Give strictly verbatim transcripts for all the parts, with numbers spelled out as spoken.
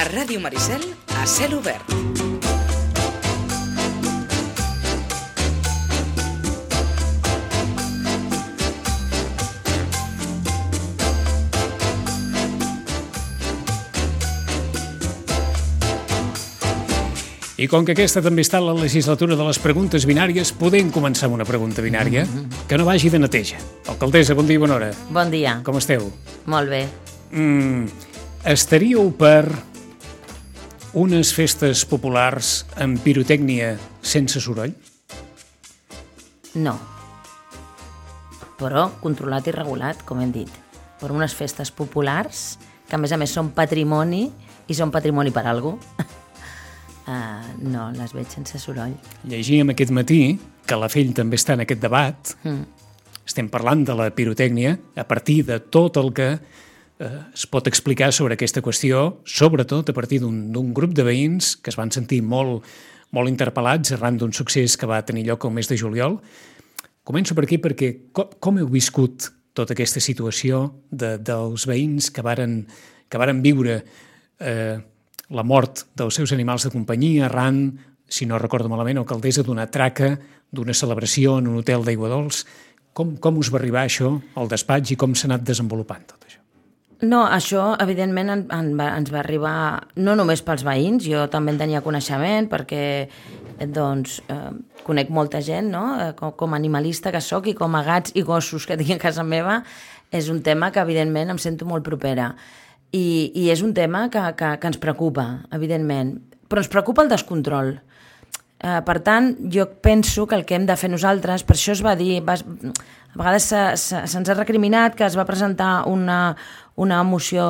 A Ràdio Maricel, a cel obert. I com que aquesta també està a la legislatura de les preguntes binàries, podem començar amb una pregunta binària que no vagi de neteja. Alcaldessa, bon dia i bona hora. Bon dia. Com esteu? Molt bé. Mm, estaríeu per unes festes populars amb pirotècnia sense soroll? No. Però controlat i regulat, com hem dit. Per unes festes populars, que a més a més són patrimoni, i són patrimoni per algú. Uh, no, les veig sense soroll. Llegíem aquest matí que la Fell també està en aquest debat. Mm. Estem parlant de la pirotècnia a partir de tot el que eh, es pot explicar sobre aquesta qüestió, sobretot a partir d'un grup de veïns que es van sentir molt, molt interpel·lats arran d'un succés que va tenir lloc el mes de juliol. Començo per aquí perquè com, com heu viscut tota aquesta situació de, dels veïns que varen, que varen viure eh, la mort dels seus animals de companyia arran, si no recordo malament, alcaldessa, d'una traca, d'una celebració en un hotel d'Aigua Dols. Com, com us va arribar això al despatx i com s'ha anat desenvolupant tot això? No, això evidentment en, en va, ens va arribar no només pels veïns, jo també en tenia coneixement perquè doncs, eh, conec molta gent, no? com, com a animalista que sóc i com a gats i gossos que tinc a casa meva, és un tema que evidentment em sento molt propera. I, i és un tema que, que, que ens preocupa, evidentment, però ens preocupa el descontrol. Eh, per tant, jo penso que el que hem de fer nosaltres, per això es va dir, va, a vegades se'ns ha recriminat que es va presentar una, una moció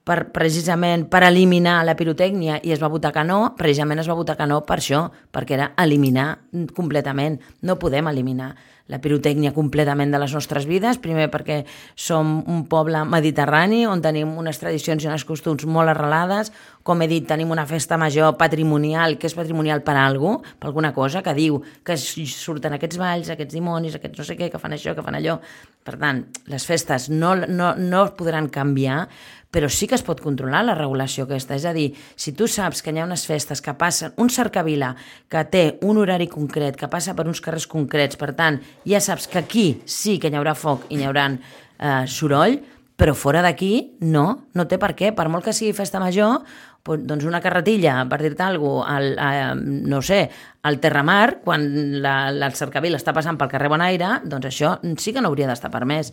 per, precisament per eliminar la pirotècnia i es va votar que no, precisament es va votar que no per això, perquè era eliminar completament. No podem eliminar la pirotècnia completament de les nostres vides, primer perquè som un poble mediterrani on tenim unes tradicions i unes costums molt arrelades, com he dit, tenim una festa major patrimonial, que és patrimonial per a algú, per alguna cosa, que diu que surten aquests balls, aquests dimonis, aquests no sé què, que fan això, que fan allò. Per tant, les festes no, no, no podran canviar, però sí que es pot controlar la regulació aquesta. És a dir, si tu saps que hi ha unes festes que passen, un cercavila que té un horari concret, que passa per uns carrers concrets, per tant, ja saps que aquí sí que hi haurà foc i hi haurà eh, soroll, però fora d'aquí no, no té per què. Per molt que sigui festa major, doncs una carretilla, per dir-te alguna cosa, al, a, no sé, al Terramar, quan la, la cercavila està passant pel carrer Bonaire, doncs això sí que no hauria d'estar permès.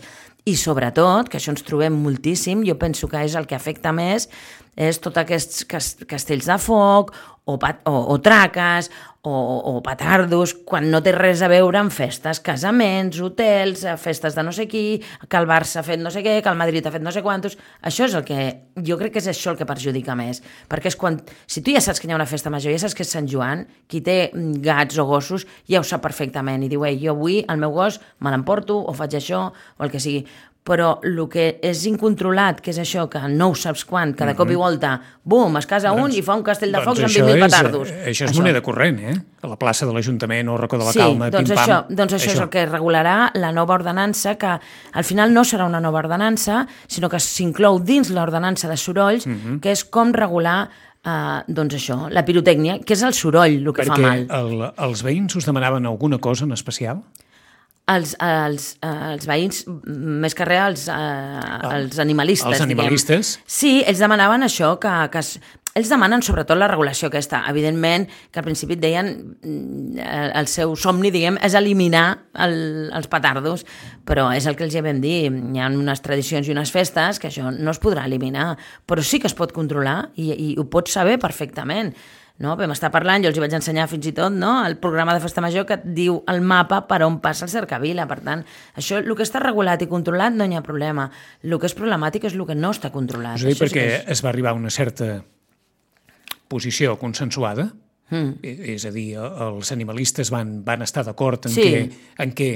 I sobretot, que això ens trobem moltíssim, jo penso que és el que afecta més, és tots aquests castells de foc o, pat, o, o traques o, o petardos, quan no té res a veure amb festes, casaments, hotels, festes de no sé qui, que el Barça ha fet no sé què, que el Madrid ha fet no sé quantos. Això és el que, jo crec que és això el que perjudica més, perquè és quan, si tu ja saps que hi ha una festa major, ja saps que és Sant Joan, qui té gats o gossos ja ho sap perfectament i diu, ei, jo avui el meu gos me l'emporto o faig això o el que sigui. Però el que és incontrolat, que és això, que no ho saps quan, que de cop i volta, bum, es casa un i fa un castell de focs amb vint mil petardos. Això és moneda corrent, eh? A la plaça de l'Ajuntament o Racó de la sí, Calma, doncs pim-pam. Això, doncs això, això és el que regularà la nova ordenança, que al final no serà una nova ordenança, sinó que s'inclou dins l'ordenança de sorolls, uh-huh. que és com regular Uh, doncs això, la pirotècnia, que és el soroll el que Perquè fa mal. Perquè el, els veïns us demanaven alguna cosa en especial? Els, els, els veïns, més que res, els, uh, els animalistes. Els animalistes? Diguem. Sí, ells demanaven això, que, que es, ells demanen sobretot la regulació aquesta. Evidentment, que al principi et deien el seu somni, diguem, és eliminar el, els petardos, però és el que els vam dir. Hi ha unes tradicions i unes festes que això no es podrà eliminar, però sí que es pot controlar i, i ho pots saber perfectament. No? Vam estar parlant, jo els hi vaig ensenyar fins i tot, no? El programa de festa major que et diu el mapa per on passa el cercavila. Per tant, això, el que està regulat i controlat no hi ha problema. El que és problemàtic és el que no està controlat. És a dir, això perquè sí és... es va arribar a una certa posició consensuada, mm. és a dir, els animalistes van, van estar d'acord en, sí. que, en què,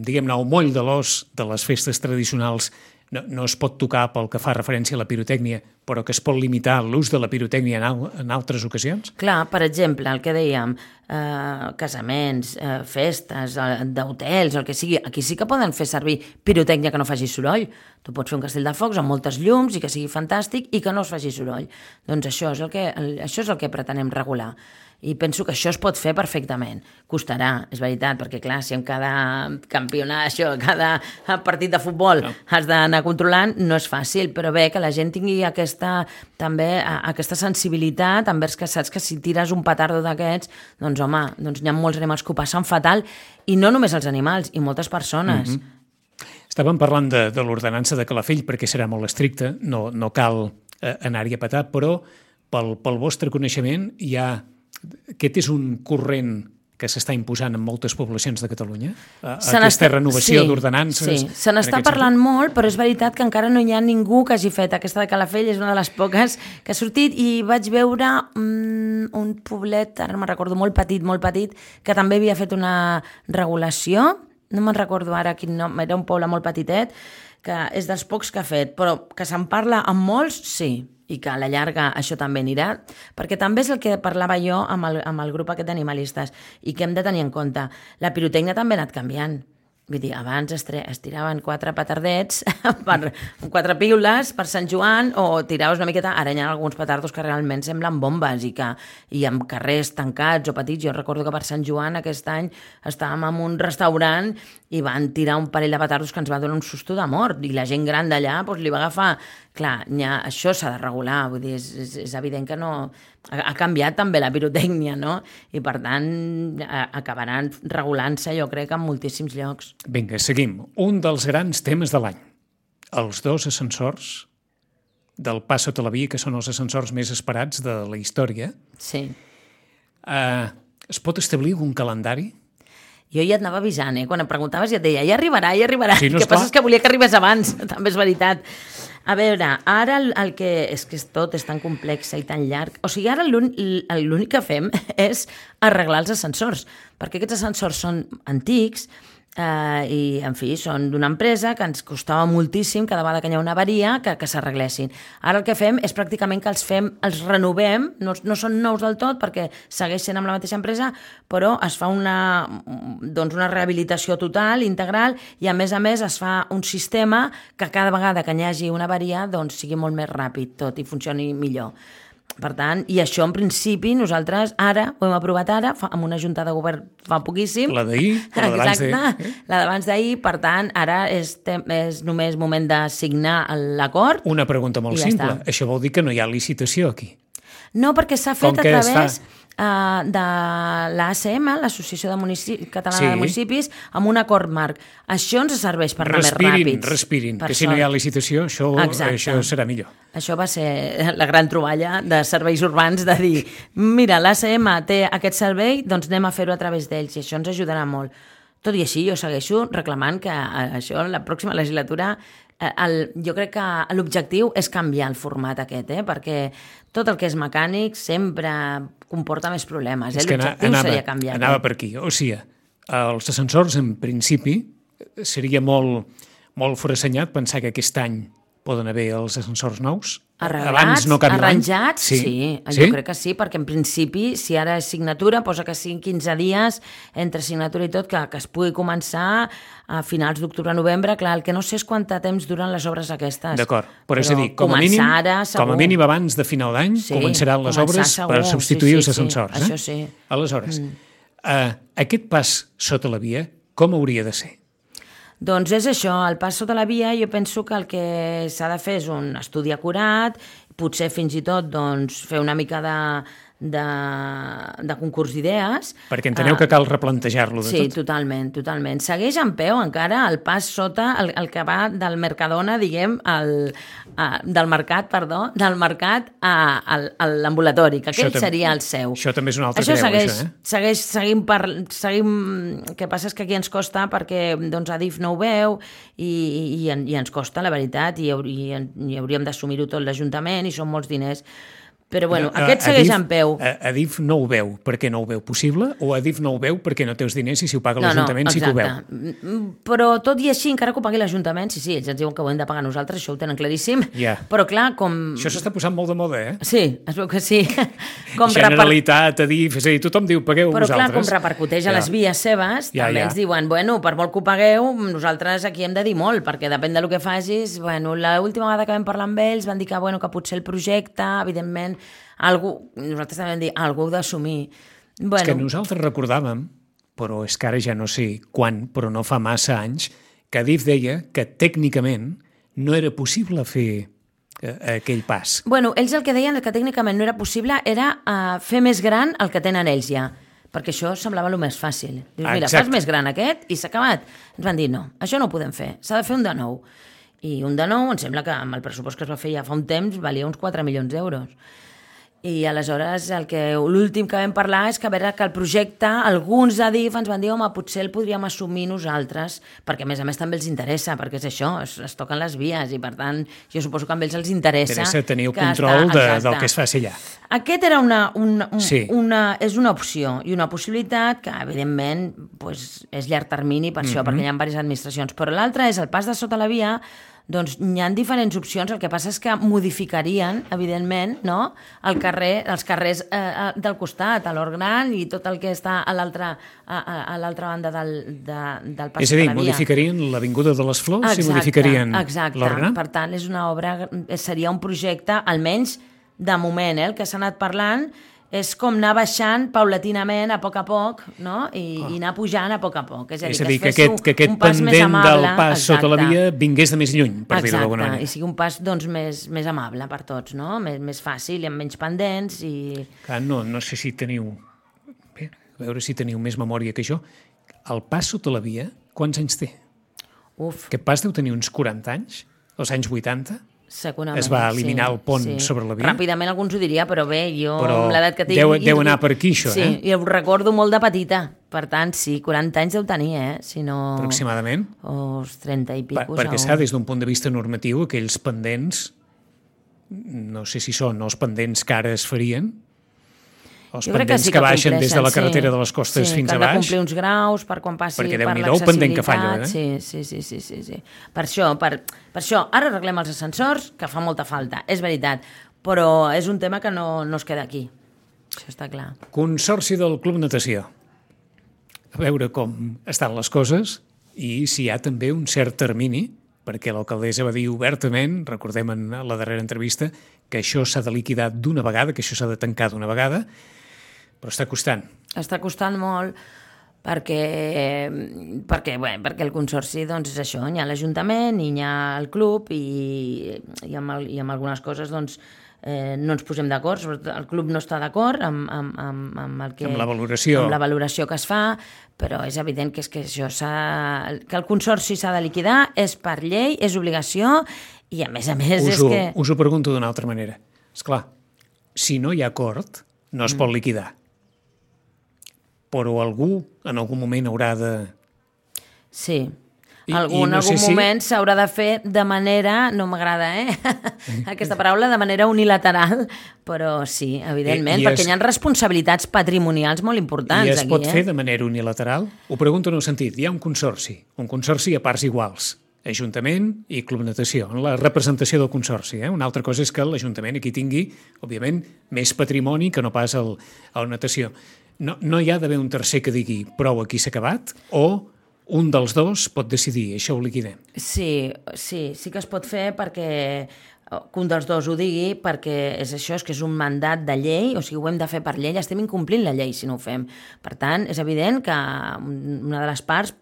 diguem-ne, el moll de l'os de les festes tradicionals no, no es pot tocar pel que fa referència a la pirotècnia, però que es pot limitar l'ús de la pirotècnia en, al en altres ocasions? Clar, per exemple, el que dèiem, eh, casaments, eh, festes, eh, d'hotels, el que sigui, aquí sí que poden fer servir pirotècnia que no faci soroll. Tu pots fer un castell de focs amb moltes llums i que sigui fantàstic i que no es faci soroll. Doncs això és el que, el, això és el que pretenem regular. I penso que això es pot fer perfectament. Costarà, és veritat, perquè clar, si en cada campionat, això, cada partit de futbol no. has d'anar controlant, no és fàcil, però bé, que la gent tingui aquesta, també, aquesta sensibilitat envers que saps que si tires un petardo d'aquests, doncs home, doncs hi ha molts animals que ho passen fatal, i no només els animals, i moltes persones. Mm-hmm. Estàvem parlant de, de l'ordenança de Calafell, perquè serà molt estricta, no, no cal eh, anar-hi a petar, però pel, pel vostre coneixement hi ha... Aquest és un corrent que s'està imposant en moltes poblacions de Catalunya? Aquesta renovació sí, d'ordenances? Sí, se n'està parlant sentit? molt, però és veritat que encara no hi ha ningú que hagi fet. Aquesta de Calafell és una de les poques que ha sortit i vaig veure um, un poblet, ara no me'n recordo, molt petit, molt petit, que també havia fet una regulació, no me'n recordo ara quin nom, era un poble molt petitet, que és dels pocs que ha fet, però que se'n parla amb molts, sí, i que a la llarga això també anirà, perquè també és el que parlava jo amb el, amb el grup aquest d'animalistes i que hem de tenir en compte. La pirotècnia també ha anat canviant. Vull dir, abans es, es tiraven quatre petardets, per, quatre piules per Sant Joan, o tiraves una miqueta... Ara hi ha alguns petardos que realment semblen bombes i que i amb carrers tancats o petits. Jo recordo que per Sant Joan aquest any estàvem en un restaurant i van tirar un parell de petardos que ens va donar un susto de mort i la gent gran d'allà doncs, li va agafar... Clar, ha, això s'ha de regular, vull dir, és, és, és evident que no... Ha, ha canviat també la pirotècnia, no? I per tant a, acabaran regulant-se, jo crec, en moltíssims llocs. Vinga, seguim. Un dels grans temes de l'any. Els dos ascensors del Pas Sota la Via, que són els ascensors més esperats de la història. Sí. Uh, es pot establir un calendari? Jo ja et anava avisant, eh? Quan em preguntaves ja et deia, ja arribarà, ja arribarà. Sí, no, el que passa és que volia que arribés abans, també és veritat. A veure, ara el, el que... És que tot és tan complex i tan llarg. O sigui, ara l'únic que fem és arreglar els ascensors, perquè aquests ascensors són antics, Uh, i en fi, són d'una empresa que ens costava moltíssim cada vegada que hi ha una avaria que, que s'arreglessin. Ara el que fem és pràcticament que els fem, els renovem, no, no són nous del tot perquè segueix sent amb la mateixa empresa, però es fa una, doncs una rehabilitació total, integral, i a més a més es fa un sistema que cada vegada que hi hagi una avaria doncs sigui molt més ràpid tot i funcioni millor. Per tant, i això en principi nosaltres ara, ho hem aprovat ara, fa, amb una junta de govern fa poquíssim. La d'ahir, la d'abans d'ahir. Eh? La d'abans d'ahir, per tant, ara és, és només moment de signar l'acord. Una pregunta molt ja simple. Està. Això vol dir que no hi ha licitació aquí? No, perquè s'ha fet a través... Està... Uh, de l'A C M, l'Associació de Munici... Catalana sí. de Municipis, amb un acord marc. Això ens serveix per anar respirin, més ràpids. Respirin, per que si sort. no hi ha licitació, això, això serà millor. Això va ser la gran troballa de serveis urbans, de dir, mira, l'A C M té aquest servei, doncs anem a fer-ho a través d'ells, i això ens ajudarà molt. Tot i així, jo segueixo reclamant que això, la pròxima legislatura, el, jo crec que l'objectiu és canviar el format aquest, eh? Perquè tot el que és mecànic sempre comporta més problemes. Eh? L'objectiu anava, seria canviar. Anava per aquí. O sigui, els ascensors, en principi, seria molt, molt forassenyat pensar que aquest any poden haver els ascensors nous. Arreglats, no arranjats, sí. sí. sí. Jo crec que sí, perquè en principi, si ara és signatura, posa que siguin quinze dies entre signatura i tot, que, que es pugui començar a finals d'octubre-novembre. Clar, el que no sé és quant temps duren les obres aquestes. D'acord, però, però és a dir, com a, mínim, ara, com a mínim abans de final d'any sí, començaran les obres segur. Per substituir sí, sí, els ascensors. Sí, eh? això sí. Aleshores, mm. uh, aquest pas sota la via, com hauria de ser? Doncs és això, el pas sota la via, jo penso que el que s'ha de fer és un estudi acurat, potser fins i tot doncs, fer una mica de, de, de concurs d'idees. Perquè enteneu uh, que cal replantejar-lo de sí, tot. Sí, totalment, totalment. Segueix en peu encara el pas sota, el, el que va del Mercadona, diguem, al, a, del mercat, perdó, del mercat a, a, a l'ambulatori, que aquell tam- seria el seu. Això també és una altra això creu, segueix, això, eh? Segueix, seguim per, seguim... El que passa és que aquí ens costa perquè doncs, Adif no ho veu i, i, i ens costa, la veritat, i, i, i hauríem d'assumir-ho tot l'Ajuntament i són molts diners. Però bueno, No, aquest a- segueix Adif- en peu. a- Adif no ho veu perquè no ho veu possible o Adif no ho veu perquè no té els diners i si ho paga No, no, l'Ajuntament sí que ho veu? exacte. Mm, Però tot i així, encara que ho pagui l'Ajuntament, sí, sí, ells ens diuen que ho hem de pagar nosaltres, això ho tenen claríssim. Ja. Però clar, com... Això s'està posant molt de moda, eh? Sí, es veu que sí. Com reper... Generalitat, Adif, és a dir, tothom diu pagueu Però clar, vosaltres. com repercuteix a Ja. les vies seves, Ja, també ja. ens diuen, bueno, per molt que ho pagueu, nosaltres aquí hem de dir molt, perquè depèn del que facis. Bueno, l'última vegada que vam parlar amb ells van dir que, bueno, que potser el projecte, evidentment, algú, nosaltres també vam dir, algú heu d'assumir. Bueno, És que nosaltres recordàvem, però és que ara ja no sé quan, però no fa massa anys, que Adif deia que tècnicament no era possible fer eh, aquell pas. Bueno, ells el que deien que tècnicament no era possible era uh, fer més gran el que tenen ells ja, perquè això semblava el més fàcil. Dius, mira, Exacte. fas més gran aquest i s'ha acabat. Ens van dir, no, això no ho podem fer, s'ha de fer un de nou. I un de nou, em sembla que amb el pressupost que es va fer ja fa un temps valia uns quatre milions d'euros. I aleshores el que l'últim que vam parlar és que a veure que el projecte, alguns d'Adif ens van dir, home, potser el podríem assumir nosaltres, perquè a més a més també els interessa, perquè és això, es, es toquen les vies i per tant jo suposo que a ells els interessa. Interessa tenir el que control està- de, exacte. del que es faci allà. Aquest era una, una, un, Sí. una, és una opció i una possibilitat que, evidentment, pues, és llarg termini per això, Mhm. perquè hi ha diverses administracions. Però l'altra és el pas de sota la via, doncs hi ha diferents opcions, el que passa és que modificarien, evidentment, no? el carrer, els carrers eh, del costat, a l'Hort Gran i tot el que està a l'altra a, a, a l'altra banda del, de, del pas És a dir, sota la via. modificarien l'Avinguda de les Flors Exacte, i modificarien exacte. l'Hort Gran? Per tant, és una obra, seria un projecte, almenys de moment, eh, el que s'ha anat parlant, és com anar baixant paulatinament, a poc a poc, no? I, oh. i anar pujant a poc a poc. És a dir, És a dir, que, que es fes aquest, que aquest un pas més pendent amable, del pas sota la exacte. via vingués de més lluny, per dir-ho d'alguna Exacte, manera. i sigui un pas doncs, més, més amable per tots, no? Més, més fàcil i amb menys pendents i... Clar, no, no sé si teniu... Bé, a veure si teniu més memòria que jo. El pas sota la via, quants anys té? Uf, Aquest pas deu tenir uns quaranta anys, als anys vuitanta, segurament. es va eliminar sí, el pont sí. sobre la via. Ràpidament alguns ho diria, però bé, jo Però amb l'edat que tinc... deu- i- deu anar per aquí, això, sí, eh? i ho recordo molt de petita. Per tant, sí, quaranta anys deu tenir, eh? Si no... aproximadament. O els trenta i Per, pico. perquè s'ha, des d'un punt de vista normatiu, aquells pendents, no sé si són els pendents que ara es farien, els Jo crec pendents sí que, baixen des de la compleixen, carretera sí. de les costes sí, fins que a han de baix. complir uns graus per quan passi Perquè per Déu-n'hi-do el pendent que fa allò, l'accessibilitat. eh? Sí, sí, sí, sí, sí, sí. Per això, per, per això, ara arreglem els ascensors, que fa molta falta, és veritat, però és un tema que no, no es queda aquí. Això està clar. Consorci del Club Natació. A veure com estan les coses i si hi ha també un cert termini, perquè l'alcaldessa va dir obertament, recordem en la darrera entrevista, que això s'ha de liquidar d'una vegada, que això s'ha de tancar d'una vegada, però està costant. Està costant molt perquè, perquè, bé, perquè el Consorci doncs, és això, hi ha l'Ajuntament i hi ha el club i, i, amb, el, i amb algunes coses doncs, eh, no ens posem d'acord, sobretot el club no està d'acord amb, amb, amb, amb, el que, Amb la valoració. amb la valoració que es fa, però és evident que, és que, això que el Consorci s'ha de liquidar, és per llei, és obligació i a més a més Us és ho, que... us ho pregunto d'una altra manera. És clar, si no hi ha acord, no es pot liquidar. Però algú en algun moment haurà de... Sí, I- algú, i en no algun sé si- moment s'haurà de fer de manera, no m'agrada, eh? aquesta paraula, de manera unilateral, però sí, evidentment, I- i perquè es- hi ha responsabilitats patrimonials molt importants I es aquí, pot eh? fer de manera unilateral? Ho pregunto en el sentit, hi ha un consorci, un consorci a parts iguals, Ajuntament i Club Natació, en la representació del consorci. Eh? Una altra cosa és que l'Ajuntament aquí tingui, òbviament, més patrimoni que no pas el, el Natació. No, no hi ha d'haver un tercer que digui prou, aquí s'ha acabat, o un dels dos pot decidir, això ho liquidem. Sí, sí, sí que es pot fer perquè que un dels dos ho digui, perquè és això, és que és un mandat de llei, o sigui, ho hem de fer per llei, estem incomplint la llei si no ho fem. Per tant, és evident que una de les parts,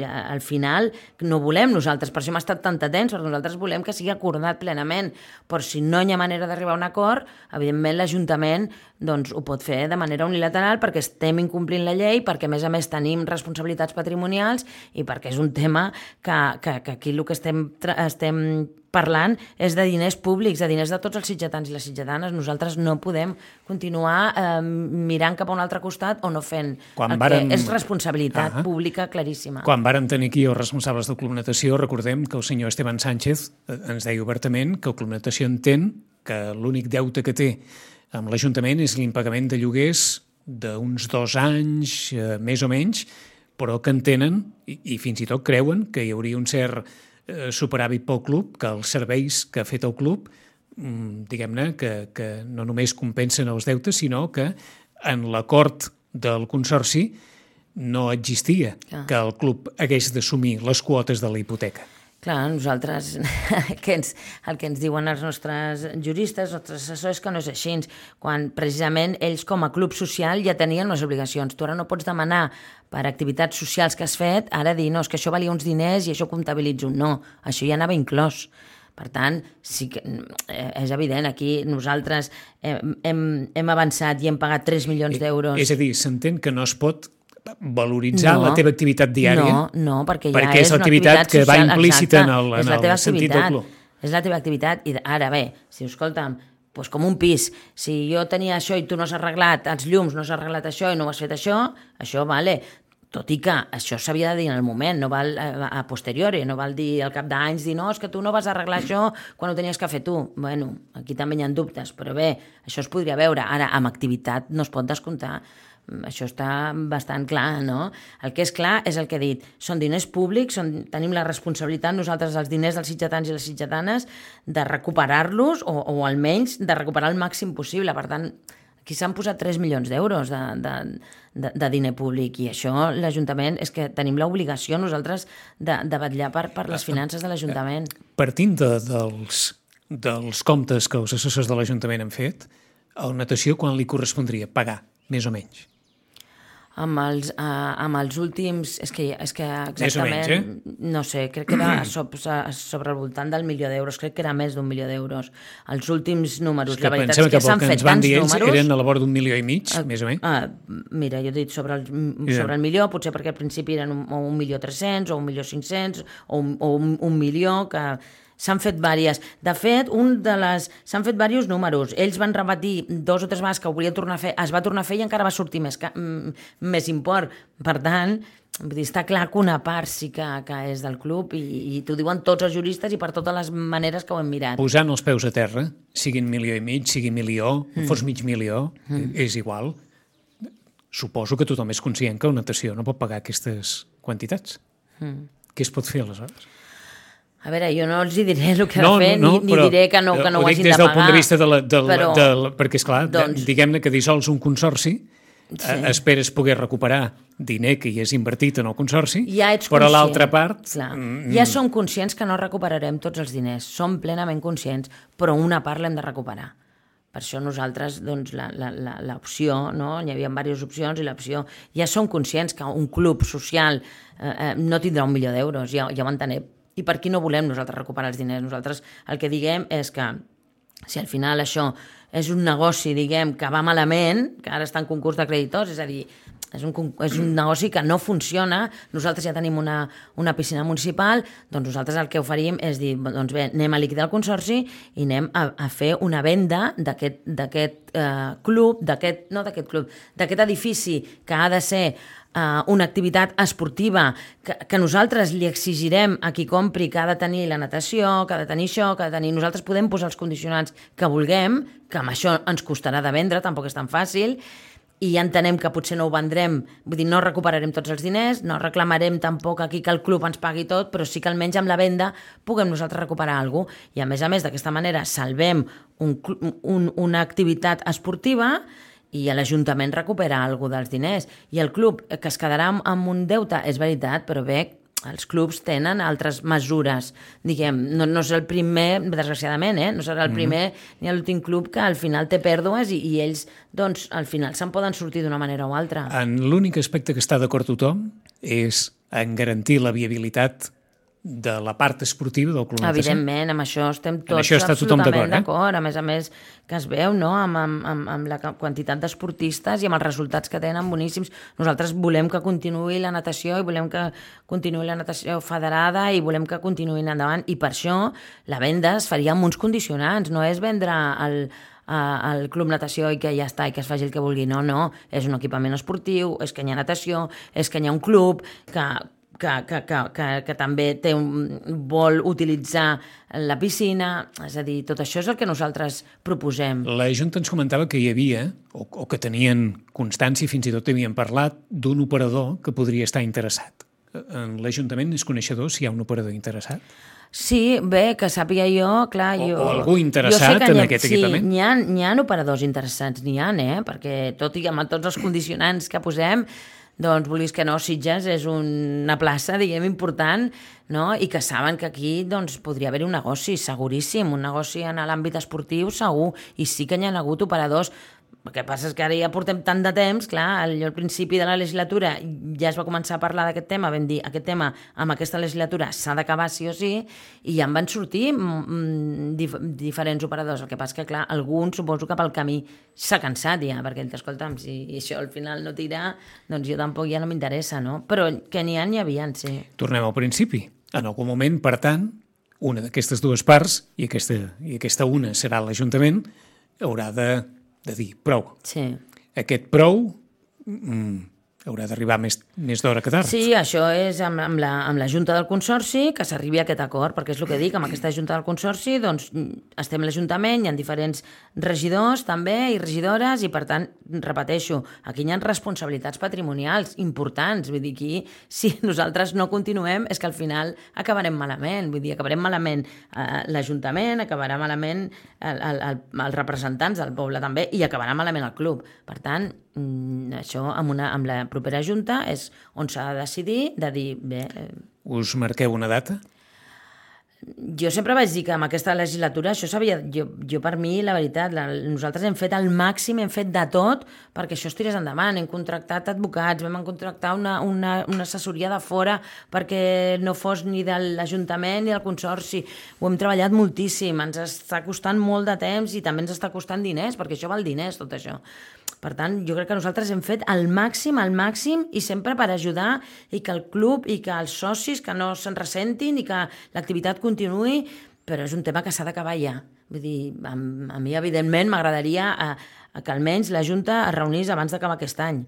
al final, no volem nosaltres, per això hem estat tan atents, perquè nosaltres volem que sigui acordat plenament, però si no hi ha manera d'arribar a un acord, evidentment l'Ajuntament doncs, ho pot fer de manera unilateral perquè estem incomplint la llei, perquè a més a més tenim responsabilitats patrimonials i perquè és un tema que, que, que aquí el que estem, estem parlant és de diners públics, de diners de tots els sitgetans i les sitgetanes. Nosaltres no podem continuar eh, mirant cap a un altre costat o no fent Quan el vàrem... que és responsabilitat ah, pública claríssima. Quan vàrem tenir aquí els responsables del Club Natació, recordem que el senyor Esteban Sánchez ens deia obertament que el Club Natació entén que l'únic deute que té amb l'Ajuntament és l'impagament de lloguers d'uns dos anys, eh, més o menys, però que entenen i, i fins i tot creuen que hi hauria un cert eh, superàvit pel club, que els serveis que ha fet el club, mm, diguem-ne, que, que no només compensen els deutes, sinó que en l'acord del Consorci no existia Clar. que el club hagués d'assumir les quotes de la hipoteca. Clar, nosaltres, que ens, el que ens diuen els nostres juristes, els nostres assessors, que no és així, quan precisament ells com a club social ja tenien les obligacions. Tu ara no pots demanar per activitats socials que has fet, ara dir, no, és que això valia uns diners i això ho comptabilitzo. No, això ja anava inclòs. Per tant, sí que és evident, aquí nosaltres hem, hem, hem avançat i hem pagat tres milions d'euros. És a dir, s'entén que no es pot valoritzar no, la teva activitat diària, no, no, perquè ja perquè és, és l'activitat que va implícita en el, en el sentit del club. És la teva activitat, i ara bé, si escolta'm, doncs com un pis, si jo tenia això i tu no has arreglat els llums, no has arreglat això i no has fet això, això vale, tot i que això s'havia de dir en el moment, no val a posteriori, no val dir al cap d'anys, dir no, és que tu no vas arreglar això quan ho tenies que fer tu. Bueno, aquí també hi ha dubtes, però bé, això es podria veure. Ara, amb activitat no es pot descomptar. Això està bastant clar, no? El que és clar és el que he dit. Són diners públics, són, tenim la responsabilitat nosaltres, els diners dels sitgetans i les sitgetanes, de recuperar-los o, o almenys de recuperar el màxim possible. Per tant, aquí s'han posat tres milions d'euros de, de, de, de diner públic i això l'Ajuntament és que tenim l'obligació nosaltres de, de vetllar per, per les finances de l'Ajuntament. Partint de, dels, dels comptes que els assessors de l'Ajuntament han fet, a Natació quan li correspondria pagar, més o menys? Amb els, uh, amb els últims, és que, és que exactament, més o menys, eh? No sé, crec que era sobre, sobre el voltant del milió d'euros, crec que era més d'un milió d'euros. Els últims números, la veritat és que, que s'han fet tants números... Eren a la vora d'un milió i mig, uh, més o menys? Uh, mira, jo he dit sobre el, yeah. sobre el milió, potser perquè al principi eren un, un milió tres-cents o un milió cinc-cents o un, o un, un milió que... S'han fet vàries. De fet, un de les... s'han fet diversos números. Ells van repetir dos o tres vegades que ho volien tornar a fer, es va tornar a fer i encara va sortir més, més import. Per tant, vull dir, està clar que una part sí que, que és del club i, i t'ho diuen tots els juristes i per totes les maneres que ho hem mirat. Posant els peus a terra, siguin milió i mig, sigui milió, mm. fos mig milió, mm. és igual. Suposo que tothom és conscient que la natació no pot pagar aquestes quantitats. Mm. Què es pot fer aleshores? A veure, jo no els hi diré el que no, ha de fer, no, no, ni, ni diré que no, que no ho, ho hagin de pagar. Ho dic des del punt de vista de la... De la, però, de la perquè, esclar, doncs, diguem-ne que dissols un consorci, sí. eh, esperes poder recuperar diner que hi has invertit en el consorci, ja ets però conscient, l'altra part... Clar, mm, ja som conscients que no recuperarem tots els diners, som plenament conscients, però una part l'hem de recuperar. Per això nosaltres, doncs, l'opció, no? Hi havia diverses opcions i l'opció... Ja som conscients que un club social eh, eh, no tindrà un milió d'euros, ja, ja ho entenem. I per qui no volem nosaltres recuperar els diners? Nosaltres el que diguem és que si al final això és un negoci, diguem, que va malament, que ara està en concurs de creditors, és a dir, és un, és un negoci que no funciona, nosaltres ja tenim una, una piscina municipal, doncs nosaltres el que oferim és dir, doncs bé, anem a liquidar el consorci i anem a, a fer una venda d'aquest d'aquest eh, club, d'aquest, no d'aquest club, d'aquest edifici que ha de ser Uh, una activitat esportiva que, que nosaltres li exigirem a qui compri que ha de tenir la natació, que ha de tenir això, que ha de tenir... Nosaltres podem posar els condicionants que vulguem, que amb això ens costarà de vendre, tampoc és tan fàcil, i ja entenem que potser no ho vendrem, vull dir, no recuperarem tots els diners, no reclamarem tampoc aquí que el club ens pagui tot, però sí que almenys amb la venda puguem nosaltres recuperar alguna cosa. I a més a més, d'aquesta manera, salvem un, un, una activitat esportiva i l'Ajuntament recupera alguna dels diners. I el club, que es quedarà amb un deute, és veritat, però bé, els clubs tenen altres mesures. Diguem, no, no és el primer, desgraciadament, eh? no serà el primer mm-hmm. ni l'últim club que al final té pèrdues i, i ells, doncs, al final se'n poden sortir d'una manera o altra. En l'únic aspecte que està d'acord tothom és en garantir la viabilitat de la part esportiva del Club Natació. Evidentment, amb això estem tots això està absolutament d'acord. Eh? A més a més, que es veu, no?, amb, amb, amb, amb la quantitat d'esportistes i amb els resultats que tenen boníssims. Nosaltres volem que continuï la natació i volem que continuï la natació federada i volem que continuïn endavant. I per això la venda es faria amb uns condicionants, no és vendre el, al Club Natació i que ja està, i que es faci el que vulgui. No, no, és un equipament esportiu, és que hi ha natació, és que hi ha un club que... que, que, que, que, que també té un, vol utilitzar la piscina, és a dir, tot això és el que nosaltres proposem. La Junta ens comentava que hi havia, o, o que tenien constància, fins i tot havien parlat, d'un operador que podria estar interessat. L'Ajuntament és coneixedor si hi ha un operador interessat? Sí, bé, que sàpiga jo, clar... O, jo, o algú interessat en ha, aquest sí, equipament? N'hi ha, n'hi ha operadors interessats, n'hi ha, eh? Perquè tot i amb tots els condicionants que posem, doncs, vulguis que no, Sitges és una plaça, diguem, important, no? I que saben que aquí doncs, podria haver un negoci, seguríssim, un negoci en l'àmbit esportiu, segur, i sí que n'hi ha hagut operadors. El que passa és que ara ja portem tant de temps, clar, al, al principi de la legislatura ja es va començar a parlar d'aquest tema, vam dir, aquest tema amb aquesta legislatura s'ha d'acabar sí o sí, i ja en van sortir mm, dif diferents operadors. El que passa és que, clar, alguns suposo que pel camí s'ha cansat ja, perquè, escolta'm, si això al final no tira, doncs jo tampoc ja no m'interessa, no? Però que n'hi ha, n'hi havia, sí. Tornem al principi. En algun moment, per tant, una d'aquestes dues parts, i aquesta, i aquesta una serà l'Ajuntament, haurà de de dir prou. Sí. Aquest prou mm, haurà d'arribar més, més d'hora que tard. Sí, això és amb, amb, la, amb la Junta del Consorci que s'arribi a aquest acord, perquè és el que dic, amb aquesta Junta del Consorci doncs, estem a l'Ajuntament, hi ha diferents regidors també i regidores i per tant, repeteixo, aquí hi ha responsabilitats patrimonials importants, vull dir, aquí si nosaltres no continuem és que al final acabarem malament, vull dir, acabarem malament eh, l'Ajuntament, acabarà malament el, el, el, els representants del poble també i acabarà malament el club. Per tant, mm, això amb, una, amb la propera Junta és on s'ha de decidir de dir, bé... Eh, us marqueu una data? Jo sempre vaig dir que amb aquesta legislatura això s'havia... Jo, jo per mi, la veritat, la, nosaltres hem fet el màxim, hem fet de tot perquè això es tirés endavant. Hem contractat advocats, vam contractar una, una, una assessoria de fora perquè no fos ni de l'Ajuntament ni del Consorci. Ho hem treballat moltíssim, ens està costant molt de temps i també ens està costant diners, perquè això val diners, tot això. Per tant, jo crec que nosaltres hem fet el màxim, el màxim, i sempre per ajudar i que el club i que els socis que no se'n ressentin i que l'activitat continuï, però és un tema que s'ha d'acabar ja. Vull dir, a, a mi, evidentment, m'agradaria que almenys la Junta es reunís abans d'acabar aquest any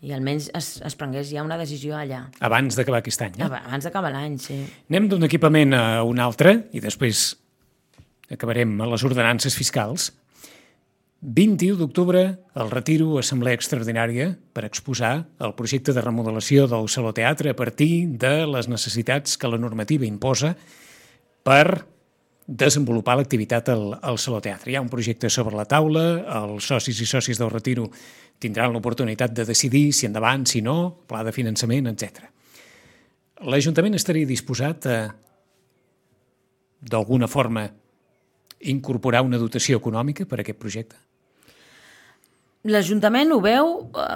i almenys es, es prengués ja una decisió allà. Abans d'acabar aquest any, eh? Abans d'acabar l'any, sí. Anem d'un equipament a un altre i després acabarem a les ordenances fiscals. vint-i-u d'octubre, el retiro assemblea extraordinària per exposar el projecte de remodelació del Saló Teatre a partir de les necessitats que la normativa imposa per desenvolupar l'activitat al, al Saló Teatre. Hi ha un projecte sobre la taula, els socis i socis del retiro tindran l'oportunitat de decidir si endavant, si no, pla de finançament, etcètera. L'Ajuntament estaria disposat a, d'alguna forma, incorporar una dotació econòmica per a aquest projecte? L'Ajuntament ho veu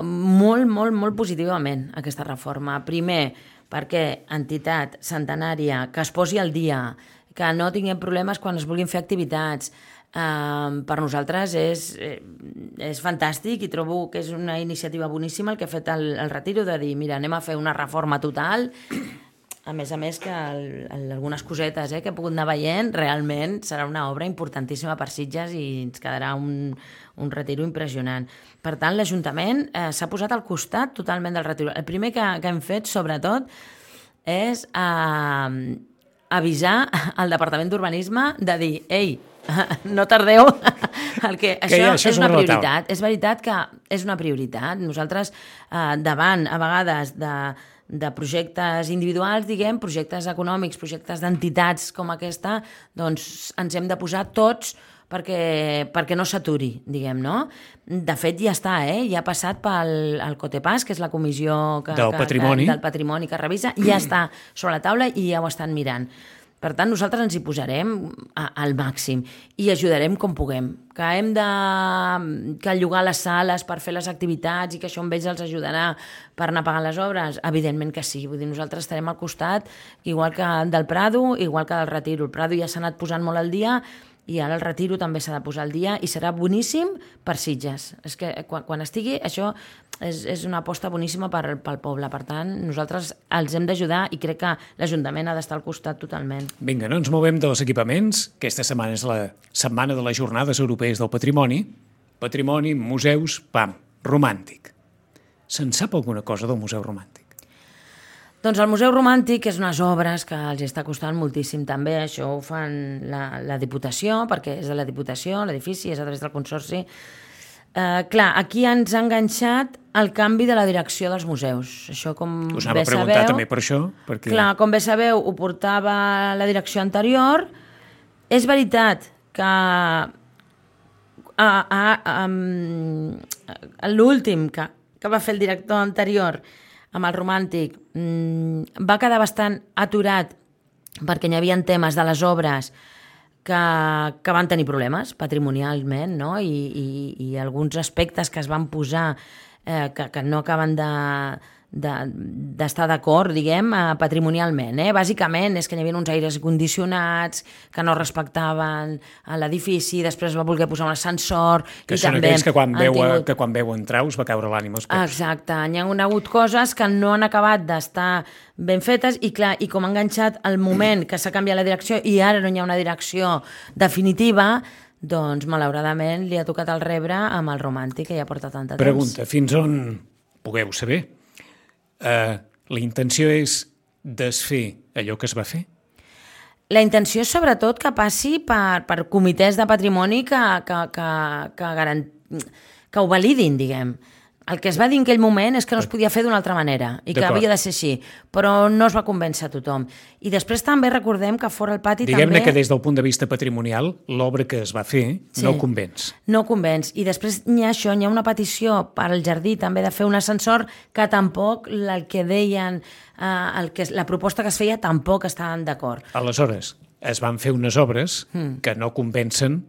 molt, molt, molt positivament, aquesta reforma. Primer, perquè entitat centenària, que es posi al dia, que no tinguem problemes quan es vulguin fer activitats, eh, per nosaltres és, és fantàstic i trobo que és una iniciativa boníssima el que ha fet el, el retiro, de dir, mira, anem a fer una reforma total. A més a més que el, el, algunes cosetes eh, que he pogut anar veient, realment serà una obra importantíssima per Sitges i ens quedarà un, un retiro impressionant. Per tant, l'Ajuntament eh, s'ha posat al costat totalment del retiro. El primer que, que hem fet, sobretot, és eh, avisar al Departament d'Urbanisme de dir, ei, no tardeu, el que, que això, ja, això és una brutal. prioritat. És veritat que és una prioritat. Nosaltres, eh, davant, a vegades, de de projectes individuals, diguem, projectes econòmics, projectes d'entitats com aquesta, doncs ens hem de posar tots perquè, perquè no s'aturi, diguem, no? De fet, ja està, eh? Ja ha passat pel el COTEPAS, que és la comissió que, del, que, patrimoni. Que, del patrimoni que revisa, ja està sobre la taula i ja ho estan mirant. Per tant, nosaltres ens hi posarem al màxim i ajudarem com puguem. Que hem de que llogar les sales per fer les activitats i que això amb ells els ajudarà per anar pagant les obres? Evidentment que sí. Vull dir, nosaltres estarem al costat, igual que del Prado, igual que del Retiro. El Prado ja s'ha anat posant molt al dia i ara el Retiro també s'ha de posar al dia i serà boníssim per Sitges. És que quan, quan estigui, això és, és una aposta boníssima per, pel poble. Per tant, nosaltres els hem d'ajudar i crec que l'Ajuntament ha d'estar al costat totalment. Vinga, no ens movem dels equipaments. Aquesta setmana és la setmana de les Jornades Europees del Patrimoni. Patrimoni, museus, pam, romàntic. Se'n sap alguna cosa del Museu Romàntic? Doncs el Museu Romàntic és unes obres que els està costant moltíssim també, això ho fan la, la Diputació, perquè és de la Diputació, l'edifici és a través del Consorci. Eh, clar, aquí ens ha enganxat el canvi de la direcció dels museus. Això, com Us anava bé a preguntar sabeu, també per això. Perquè... Clar, com bé sabeu, ho portava la direcció anterior. És veritat que a, a, a, a, l'últim que, que va fer el director anterior amb el Romàntic, mmm, va quedar bastant aturat perquè hi havia temes de les obres que, que van tenir problemes patrimonialment, no? I, i, i alguns aspectes que es van posar eh, que, que no acaben de, de, d'estar d'acord, diguem, eh, patrimonialment. Eh? Bàsicament és que hi havia uns aires condicionats que no respectaven l'edifici, després va voler posar un ascensor... Que i són també aquells que quan, veu, tingut... que quan veu entrar us va caure l'ànima als peus. Exacte, hi ha hagut coses que no han acabat d'estar ben fetes i clar, i com ha enganxat el moment que s'ha canviat la direcció i ara no hi ha una direcció definitiva, doncs malauradament li ha tocat el rebre amb el Romàntic que ja porta tanta temps. Pregunta, fins on pugueu saber? Uh, la intenció és desfer allò que es va fer? La intenció és sobretot que passi per, per comitès de patrimoni que, que, que, que, garant... que ho validin, diguem. El que es va dir en aquell moment és que no es podia fer d'una altra manera i que havia de ser així, però no es va convèncer a tothom. I després també recordem que fora el pati Diguem-ne també... que des del punt de vista patrimonial, l'obra que es va fer sí, no convenç. No convenç. I després hi ha això, hi ha una petició per al jardí també de fer un ascensor que tampoc el que deien, eh, el que, la proposta que es feia tampoc estaven d'acord. Aleshores, es van fer unes obres mm. que no convencen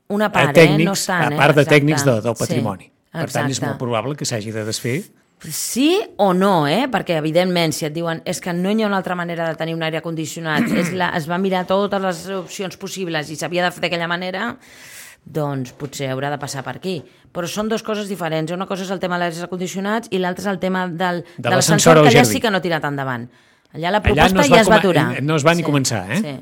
una part, a tècnics, eh? No estan, a part de eh? tècnics de, del patrimoni. Sí. Per Exacte. tant, és molt probable que s'hagi de desfer. Sí o no, eh? Perquè, evidentment, si et diuen és que no hi ha una altra manera de tenir un aire condicionat, és la, es va mirar totes les opcions possibles i s'havia de fer d'aquella manera, doncs potser haurà de passar per aquí. Però són dues coses diferents. Una cosa és el tema dels aires condicionats i l'altra és el tema del, de, de l'ascensor, que allà sí que no ha tirat endavant. Allà la proposta allà no ja es va aturar. No es va ni sí, començar, eh? Sí.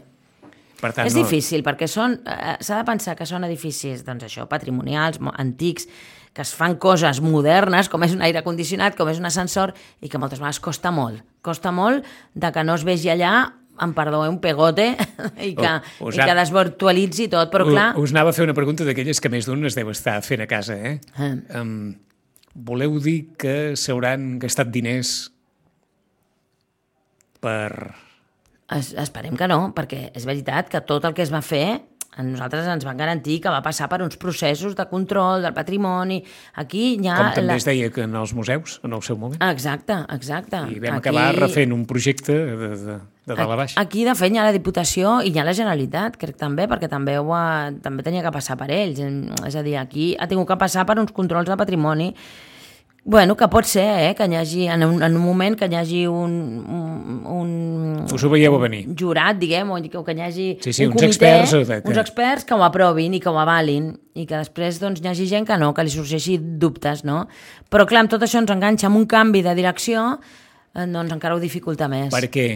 Per tant, és no... difícil, perquè són, eh, s'ha de pensar que són edificis, doncs això, patrimonials, antics, que es fan coses modernes, com és un aire condicionat, com és un ascensor, i que moltes vegades costa molt. Costa molt de que no es vegi allà, em perdó, un pegote, i que, uh, i que desvirtualitzi tot, però clar... Us anava a fer una pregunta d'aquelles que més d'un es deu estar fent a casa, eh? Uh. Um, voleu dir que s'hauran gastat diners per... Es, esperem que no, perquè és veritat que tot el que es va fer, a nosaltres ens van garantir que va passar per uns processos de control del patrimoni. Aquí hi ha... Com també la... es deia que en els museus, en el seu moment. Exacte, exacte. I vam aquí... acabar refent un projecte de, de, de dalt a baix. Aquí, de fet, hi ha la Diputació i hi ha la Generalitat, crec també, perquè també, ho ha... també tenia que passar per ells. És a dir, aquí ha tingut que passar per uns controls de patrimoni. Bueno, que pot ser, eh, que hi hagi, en un, en un moment que hi hagi un... un, un Us ho veieu a venir. Jurat, diguem, o que hi hagi sí, sí, un uns comitè, experts, que... uns experts que ho aprovin i que ho avalin, i que després doncs, hi hagi gent que no, que li sorgeixi dubtes, no? Però clar, amb tot això ens enganxa amb un canvi de direcció, doncs encara ho dificulta més. Perquè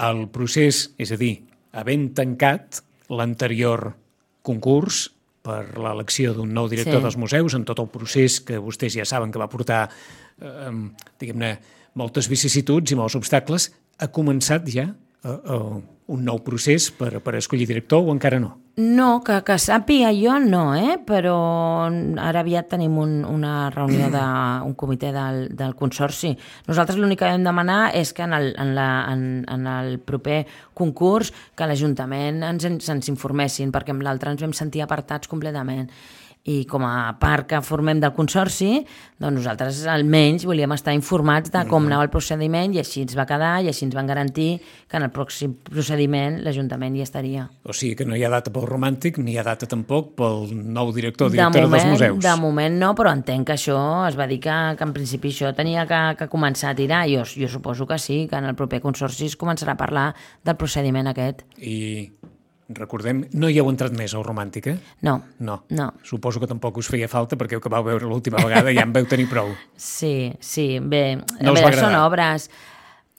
el procés, és a dir, havent tancat l'anterior concurs per l'elecció d'un nou director sí. dels museus, en tot el procés que vostès ja saben que va portar, eh, diguem-ne, moltes vicissituds i molts obstacles, ha començat ja eh, eh, un nou procés per, per escollir director o encara no? No, que, que sàpiga jo no, eh? Però ara aviat tenim un, una reunió d'un comitè del, del Consorci. Nosaltres l'únic que vam demanar és que en el, en la, en, en el proper concurs que l'Ajuntament ens, ens informessin, perquè amb l'altre ens vam sentir apartats completament. I com a part que formem del Consorci, doncs nosaltres almenys volíem estar informats de com anava el procediment i així ens va quedar i així ens van garantir que en el pròxim procediment l'Ajuntament hi estaria. O sigui que no hi ha data pel Romàntic ni hi ha data tampoc pel nou director o directora moment, dels museus. De moment no, però entenc que això es va dir que, que en principi això tenia que, que començar a tirar. Jo, jo suposo que sí, que en el proper Consorci es començarà a parlar del procediment aquest. I... recordem, no hi heu entrat més al Romàntic, eh? No, no. no. Suposo que tampoc us feia falta perquè el que vau veure l'última vegada ja en veu tenir prou. Sí, sí, bé, no bé són obres.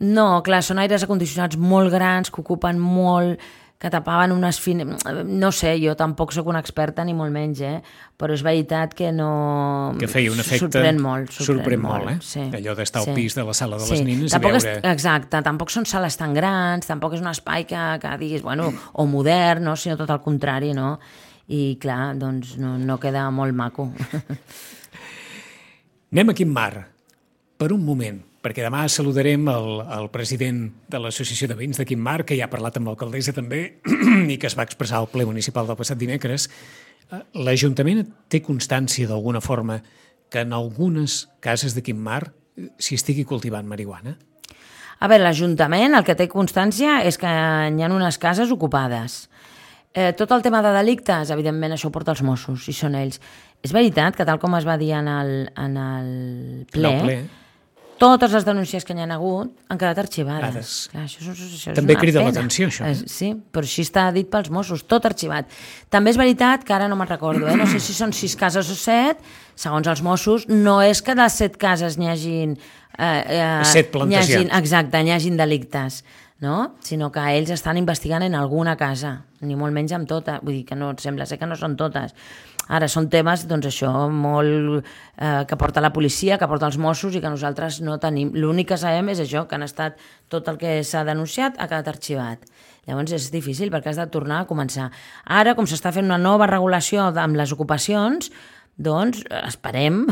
No, clar, són aires acondicionats molt grans que ocupen molt, que tapaven unes fines... No sé, jo tampoc sóc una experta ni molt menys, eh? Però és veritat que no... Que feia un efecte... Sorprèn molt. Sorprèn, sorprèn molt, molt, eh? Sí, allò d'estar sí. al pis de la sala de sí. les nines tampoc i veure... És, exacte, tampoc són sales tan grans, tampoc és un espai que, que diguis, bueno, o modern, no? Sinó tot el contrari, no? I clar, doncs no, no queda molt maco. Anem a Quim Mar, per un moment, perquè demà saludarem el, el president de l'Associació de Veïns de Quim Mar, que ja ha parlat amb l'alcaldessa també i que es va expressar al ple municipal del passat dimecres. L'Ajuntament té constància d'alguna forma que en algunes cases de Quim Mar s'hi estigui cultivant marihuana? A veure, l'Ajuntament el que té constància és que hi ha unes cases ocupades. Eh, tot el tema de delictes, evidentment, això ho porta els Mossos, i són ells. És veritat que, tal com es va dir en el, en el ple, No, ple. totes les denúncies que hi ha hagut han quedat arxivades. Clar, això, això, això També és una crida pena. l'atenció, això. Eh? Sí, però així està dit pels Mossos, tot arxivat. També és veritat que ara no me'n recordo, eh? No sé si són sis cases o set, segons els Mossos, no és que de les set cases n'hi hagin... Eh, eh, Set plantejats. N'hi hagin, exacte, n'hi hagin delictes, no? Sinó que ells estan investigant en alguna casa, ni molt menys amb tota, vull dir que no, sembla ser que no són totes. Ara, són temes, doncs això, molt eh, que porta la policia, que porta els Mossos i que nosaltres no tenim. L'únic que sabem és això, que han estat tot el que s'ha denunciat ha quedat arxivat. Llavors és difícil perquè has de tornar a començar. Ara, com s'està fent una nova regulació amb les ocupacions, doncs esperem,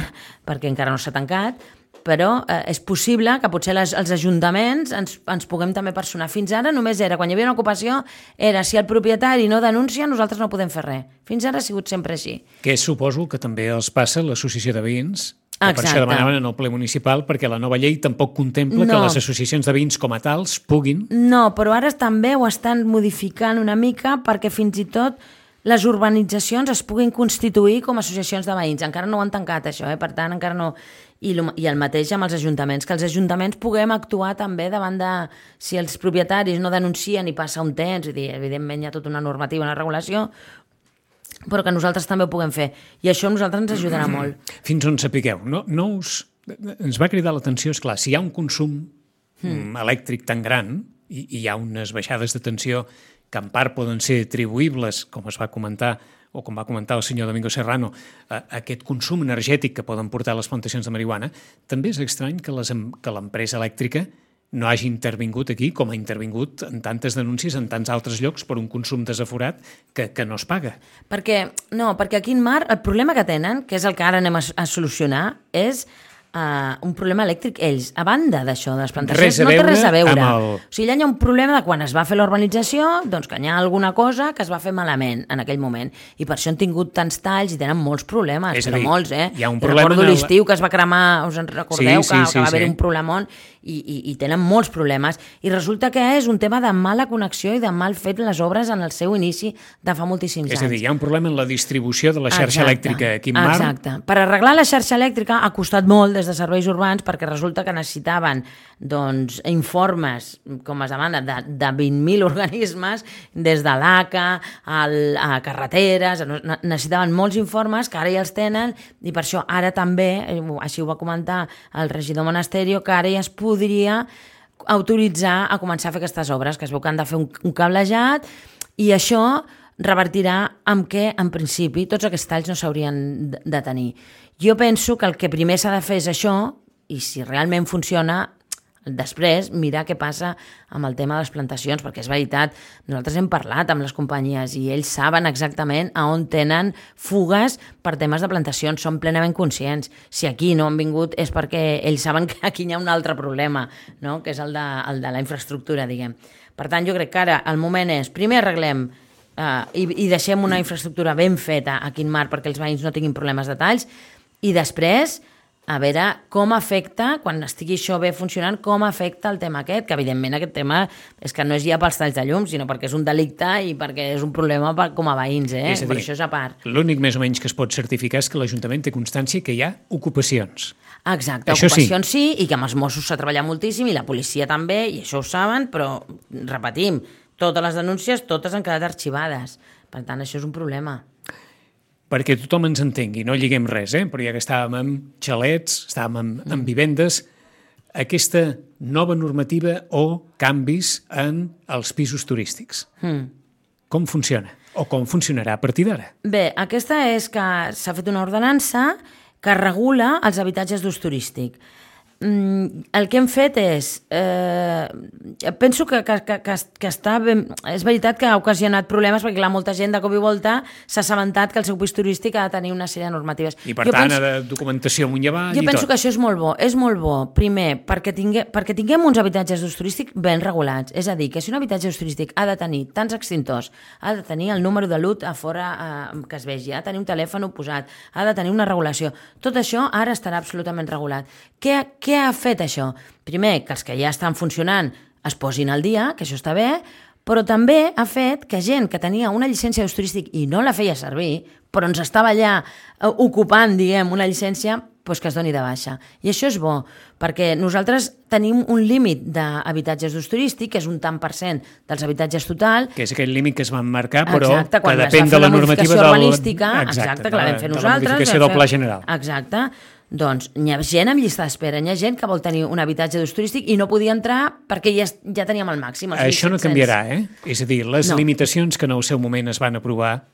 perquè encara no s'ha tancat, però eh, és possible que potser les, els ajuntaments ens, ens puguem també personar. Fins ara només era, quan hi havia una ocupació, era si el propietari no denuncia, nosaltres no podem fer res. Fins ara ha sigut sempre així. Que suposo que també els passa l'associació de veïns, que per Exacte. això demanaven en el ple municipal, perquè la nova llei tampoc contempla No. que les associacions de veïns com a tals puguin... No, però ara també ho estan modificant una mica perquè fins i tot les urbanitzacions es puguin constituir com a associacions de veïns. Encara no ho han tancat, això, eh? Per tant, encara no... I, lo, I el mateix amb els ajuntaments, que els ajuntaments puguem actuar també davant de... Si els propietaris no denuncien i passa un temps, és a dir, evidentment hi ha tota una normativa, una regulació, però que nosaltres també ho puguem fer. I això a nosaltres ens ajudarà molt. Fins on sapigueu. No, no us... Ens va cridar l'atenció, és clar, si hi ha un consum mm. elèctric tan gran i, i hi ha unes baixades de tensió que en part poden ser atribuïbles, com es va comentar, o com va comentar el senyor Domingo Serrano, a aquest consum energètic que poden portar les plantacions de marihuana, també és estrany que les, que l'empresa elèctrica no hagi intervingut aquí com ha intervingut en tantes denúncies en tants altres llocs per un consum desaforat que, que no es paga. Perquè, no, perquè aquí en Mar el problema que tenen, que és el que ara anem a, a solucionar, és uh, un problema elèctric ells. A banda d'això, de les plantacions, Res a no té veure res a veure. amb el- O sigui, allà hi ha un problema de quan es va fer la urbanització, doncs que hi ha alguna cosa que es va fer malament en aquell moment. I per això han tingut tants talls i tenen molts problemes, És a però dir, molts, eh? hi ha un I problema recordo en el- l'estiu que es va cremar, us en recordeu, Sí, sí, que, sí, que va haver sí. un problemon i, i, i tenen molts problemes. I resulta que és un tema de mala connexió i de mal fet les obres en el seu inici de fa moltíssims És anys. a dir, hi ha un problema en la distribució de la xarxa Exacte, elèctrica aquí en Mar. Exacte. Per arreglar la xarxa elèctrica ha costat molt des de serveis urbans perquè resulta que necessitaven doncs, informes, com es demana, de, de vint mil organismes, des de l'A C A al, a carreteres, necessitaven molts informes que ara ja els tenen i per això ara també, així ho va comentar el regidor Monasterio, que ara ja es podria autoritzar a començar a fer aquestes obres, que es veu que han de fer un, un cablejat i això revertirà amb què, en principi, tots aquests talls no s'haurien de tenir. Jo penso que el que primer s'ha de fer és això, i si realment funciona, després mirar què passa amb el tema de les plantacions, perquè és veritat, nosaltres hem parlat amb les companyies i ells saben exactament a on tenen fugues per temes de plantacions, són plenament conscients. Si aquí no han vingut és perquè ells saben que aquí hi ha un altre problema, no? Que és el de, el de la infraestructura, diguem. Per tant, jo crec que ara el moment és, primer arreglem Uh, i, i deixem una infraestructura ben feta aquí en Mar perquè els veïns no tinguin problemes de talls i després a veure com afecta, quan estigui això bé funcionant, com afecta el tema aquest, que evidentment aquest tema és que no és ja pels talls de llum, sinó perquè és un delicte i perquè és un problema per, com a veïns, eh? És a dir, per això és a part. L'únic més o menys que es pot certificar és que l'Ajuntament té constància que hi ha ocupacions. Exacte, això ocupacions sí. sí, i que amb els Mossos s'ha treballat moltíssim i la policia també, i això ho saben, però repetim, totes les denúncies, totes han quedat arxivades. Per tant, això és un problema. Perquè tothom ens entengui, no lliguem res, eh? Però ja que estàvem amb xalets, estàvem amb, amb vivendes, aquesta nova normativa o canvis en els pisos turístics. Mm. Com funciona? O com funcionarà a partir d'ara? Bé, aquesta és que s'ha fet una ordenança que regula els habitatges d'ús turístic. Mm, el que hem fet és... Eh, penso que, que, que, que està ben... És veritat que ha ocasionat problemes perquè, clar, molta gent de cop i volta s'ha assabentat que el seu pis turístic ha de tenir una sèrie de normatives. I, per jo tant, penso, ha de documentació amunt i avall jo i penso tot. que això és molt bo. És molt bo, primer, perquè, tingue, perquè tinguem uns habitatges d'ús turístic ben regulats. És a dir, que si un habitatge d'ús turístic ha de tenir tants extintors, ha de tenir el número de L U T a fora eh, que es vegi, ha de tenir un telèfon posat, ha de tenir una regulació. Tot això ara estarà absolutament regulat. Què, què ha fet això? Primer, que els que ja estan funcionant es posin al dia, que això està bé, però també ha fet que gent que tenia una llicència d'ús turístic i no la feia servir, però ens estava allà ocupant, diguem, una llicència, doncs que es doni de baixa. I això és bo, perquè nosaltres tenim un límit d'habitatges d'ús turístic, que és un tant per cent dels habitatges total. Que és aquell límit que es van marcar, però exacte, que depèn de la normativa del... urbanística. Exacte, exacte, que la vam fer de nosaltres. la modificació del Pla General. Exacte. Doncs hi ha gent amb llista d'espera, hi ha gent que vol tenir un habitatge d'ús turístic i no podia entrar perquè ja, ja teníem el màxim. Això no canviarà, eh? És a dir, les no. limitacions que en el seu moment es van aprovar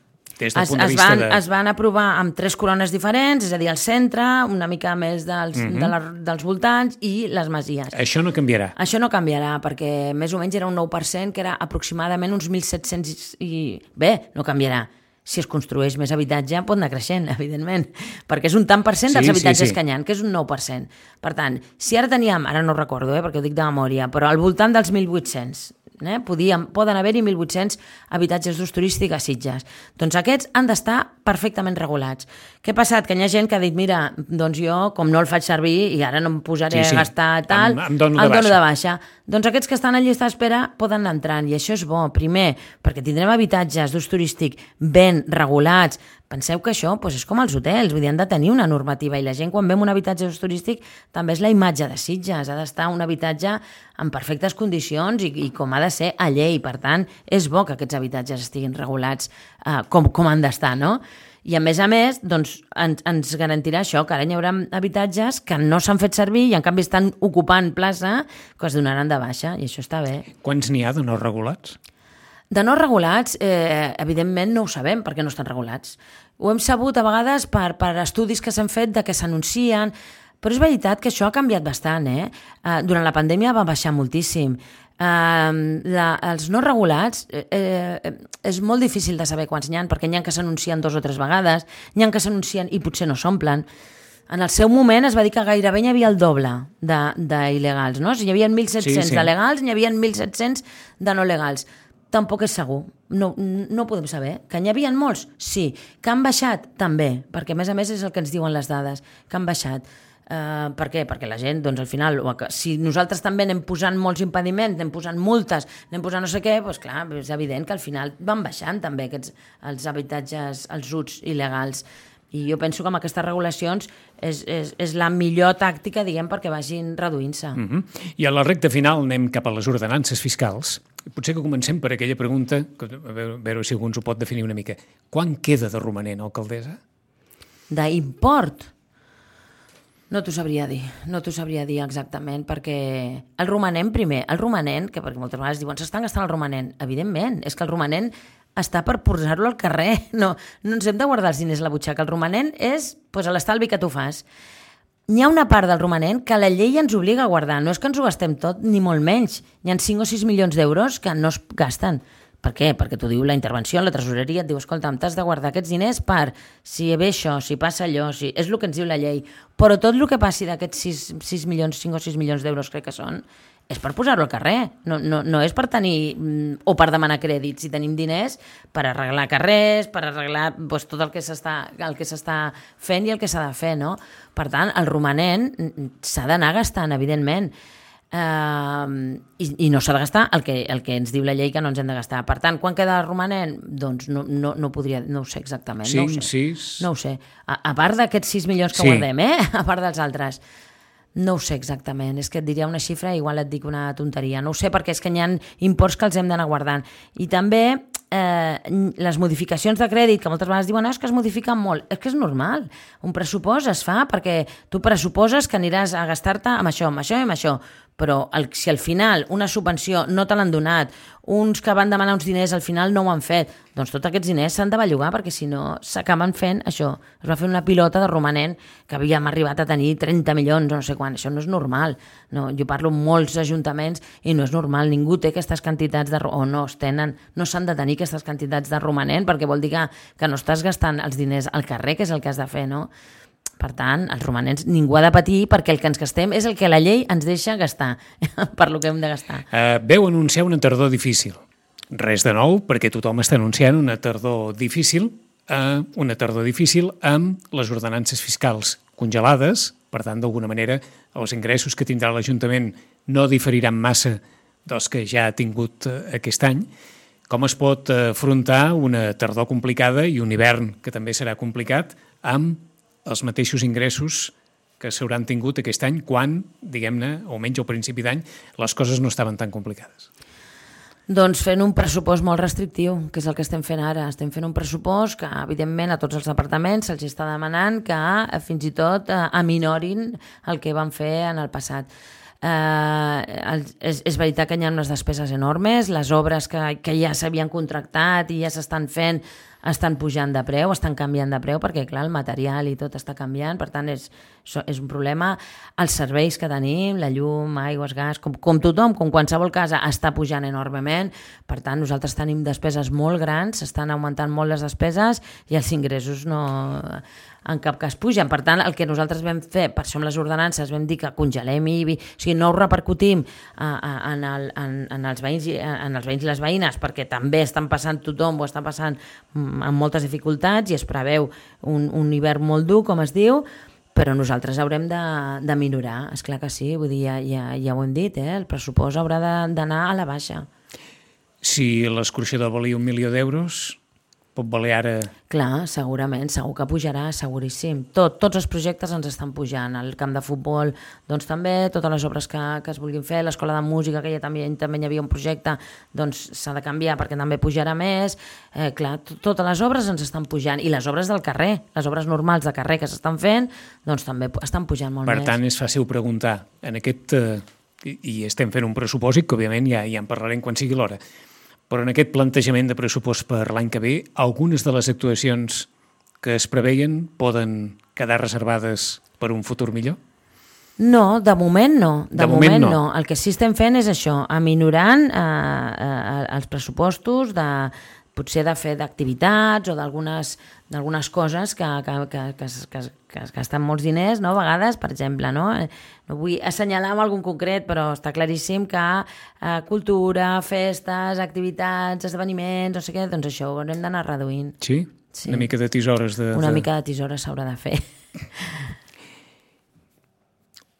des del es, punt de es vista van, de... Es van aprovar amb tres corones diferents, és a dir, el centre, una mica més dels, mm-hmm. de la, dels voltants i les masies. Això no canviarà. Això no canviarà, perquè més o menys era un nou per cent, que era aproximadament uns mil set-cents i... Bé, no canviarà. Si es construeix més habitatge, pot anar creixent, evidentment, perquè és un tant per cent dels sí, habitatges sí, sí. que hi ha, que és un nou per cent. Per tant, si ara teníem, ara no recordo, eh, perquè ho dic de memòria, però al voltant dels mil vuit-cents, eh, podíem, poden haver-hi mil vuit-cents habitatges d'ús turístic a Sitges. Doncs aquests han d'estar perfectament regulats. Què ha passat? Que hi ha gent que ha dit, mira, doncs jo, com no el faig servir i ara no em posaré sí, sí. a gastar tal, em, em dono, de, em dono baixa. de baixa. Doncs aquests que estan a llista d'espera poden anar entrant, i això és bo, primer, perquè tindrem habitatges d'ús turístic ben regulats. Penseu que això doncs, és com els hotels, vull dir, han de tenir una normativa, i la gent quan vem un habitatge d'ús turístic també és la imatge de Sitges, ha d'estar un habitatge en perfectes condicions i, i com ha de ser a llei. Per tant, és bo que aquests habitatges estiguin regulats eh, com, com han d'estar, no? I a més a més, doncs, ens, ens garantirà això, que ara hi haurà habitatges que no s'han fet servir i en canvi estan ocupant plaça, que es donaran de baixa, i això està bé. Quants n'hi ha de no regulats? De no regulats, eh, evidentment no ho sabem perquè no estan regulats. Ho hem sabut a vegades per, per estudis que s'han fet de que s'anuncien, però és veritat que això ha canviat bastant. Eh? Eh, durant la pandèmia va baixar moltíssim. Uh, la, els no regulats eh, eh, és molt difícil de saber quants n'hi ha, perquè n'hi ha que s'anuncien dos o tres vegades, n'hi ha que s'anuncien i potser no s'omplen. En el seu moment es va dir que gairebé n'hi havia el doble d'il·legals, no? Si hi havia mil set-cents sí, sí. de legals, n'hi havia mil set-cents de no legals. Tampoc és segur, no, no podem saber. Que n'hi havia molts? Sí. Que han baixat? També, perquè a més a més és el que ens diuen les dades, que han baixat. Uh, per què? Perquè la gent, doncs al final, si nosaltres també anem posant molts impediments, anem posant multes, anem posant no sé què, doncs clar, és evident que al final van baixant també aquests, els habitatges, els uts il·legals. I jo penso que amb aquestes regulacions és, és, és la millor tàctica, diguem, perquè vagin reduint-se. Mm-hmm. I a la recta final anem cap a les ordenances fiscals. Potser que comencem per aquella pregunta, que, a veure, a veure si algú ens ho pot definir una mica. Quan queda de romanent, alcaldessa? D'import? No t'ho sabria dir, no t'ho sabria dir exactament, perquè el romanent primer, el romanent, que perquè moltes vegades diuen s'estan gastant el romanent, evidentment, és que el romanent està per posar-lo al carrer, no, no ens hem de guardar els diners a la butxaca, el romanent és pues, l'estalvi que tu fas. N'hi ha una part del romanent que la llei ens obliga a guardar, no és que ens ho gastem tot, ni molt menys, hi ha cinc o sis milions d'euros que no es gasten. Per què? Perquè t'ho diu la intervenció, la tresoreria, et diu, escolta, t'has de guardar aquests diners per si ve això, si passa allò, si... és el que ens diu la llei. Però tot el que passi d'aquests sis milions, cinc o sis milions d'euros, crec que són, és per posar-lo al carrer. No, no, no és per tenir, o per demanar crèdits. Si tenim diners, per arreglar carrers, per arreglar doncs, tot el que s'està el que s'està fent i el que s'ha de fer, no? Per tant, el romanent s'ha d'anar gastant, evidentment. Uh, i, i no s'ha de gastar el que, el que ens diu la llei que no ens hem de gastar. Per tant, quan queda romanent? Doncs no, no, no podria, no ho sé exactament. cinc, no ho sé. sis... No ho sé. A, a part d'aquests sis milions que sí. guardem, eh? A part dels altres. No ho sé exactament. És que et diria una xifra i igual et dic una tonteria. No ho sé perquè és que hi ha imports que els hem d'anar guardant. I també eh, les modificacions de crèdit, que moltes vegades diuen no, és que es modifiquen molt. És que és normal. Un pressupost es fa perquè tu pressuposes que aniràs a gastar-te amb això, amb això i amb això. però el, si al final una subvenció no te l'han donat, uns que van demanar uns diners al final no ho han fet, doncs tots aquests diners s'han de bellugar perquè si no s'acaben fent això. Es va fer una pilota de romanent que havíem arribat a tenir trenta milions o no sé quan, això no és normal. No, jo parlo amb molts ajuntaments i no és normal, ningú té aquestes quantitats de, o no es tenen, no s'han de tenir aquestes quantitats de romanent perquè vol dir que, que no estàs gastant els diners al carrer, que és el que has de fer, no? Per tant, els romanents ningú ha de patir perquè el que ens gastem és el que la llei ens deixa gastar, per lo que hem de gastar. Uh, veu anunciar una tardor difícil. Res de nou, perquè tothom està anunciant una tardor difícil, uh, una tardor difícil amb les ordenances fiscals congelades, per tant, d'alguna manera, els ingressos que tindrà l'Ajuntament no diferiran massa dels que ja ha tingut uh, aquest any. Com es pot afrontar una tardor complicada i un hivern que també serà complicat amb els mateixos ingressos que s'hauran tingut aquest any quan, diguem-ne, o menys al principi d'any, les coses no estaven tan complicades? Doncs fent un pressupost molt restrictiu, que és el que estem fent ara. Estem fent un pressupost que, evidentment, a tots els departaments se'ls està demanant que fins i tot aminorin el que van fer en el passat. Uh, és, és veritat que hi ha unes despeses enormes, les obres que, que ja s'havien contractat i ja s'estan fent estan pujant de preu, estan canviant de preu perquè, clar, el material i tot està canviant, per tant, és, és un problema. Els serveis que tenim, la llum, aigües, gas, com, com tothom, com qualsevol casa, està pujant enormement, per tant, nosaltres tenim despeses molt grans, s'estan augmentant molt les despeses i els ingressos no en cap cas pugen. Per tant, el que nosaltres vam fer, per això amb les ordenances vam dir que congelem I B I, o sigui, no ho repercutim a, a, en, el, en, en, els veïns, en els veïns i les veïnes, perquè també estan passant tothom, o està passant amb moltes dificultats i es preveu un, un hivern molt dur, com es diu, però nosaltres haurem de, de minorar, esclar que sí, vull dir, ja, ja, ja ho hem dit, eh? El pressupost haurà d'anar a la baixa. Si l'escorxador valia un milió d'euros, pot valer ara... Clar, segurament, segur que pujarà, seguríssim. Tot, tots els projectes ens estan pujant. El camp de futbol, doncs també, totes les obres que, que es vulguin fer, l'escola de música, que ja també, també hi havia un projecte, doncs s'ha de canviar perquè també pujarà més. Eh, clar, totes les obres ens estan pujant. I les obres del carrer, les obres normals de carrer que s'estan fent, doncs també estan pujant molt per més. Per tant, és fàcil preguntar. En aquest... Eh, i estem fent un pressupòsit, que òbviament ja, ja en parlarem quan sigui l'hora. Però en aquest plantejament de pressupost per l'any que ve, algunes de les actuacions que es preveien poden quedar reservades per un futur millor? No, de moment no. De, de moment, moment no. no. El que sí estem fent és això, aminorant eh, eh, els pressupostos de potser de fer d'activitats o d'algunes d'algunes coses que, que, que, que, que, que es gasten molts diners, no? A vegades, per exemple, no? No vull assenyalar amb algun concret, però està claríssim que eh, cultura, festes, activitats, esdeveniments, no sé què, doncs això ho haurem d'anar reduint. Sí? Sí? Una mica de tisores. De, Una de... mica de tisores s'haurà de fer.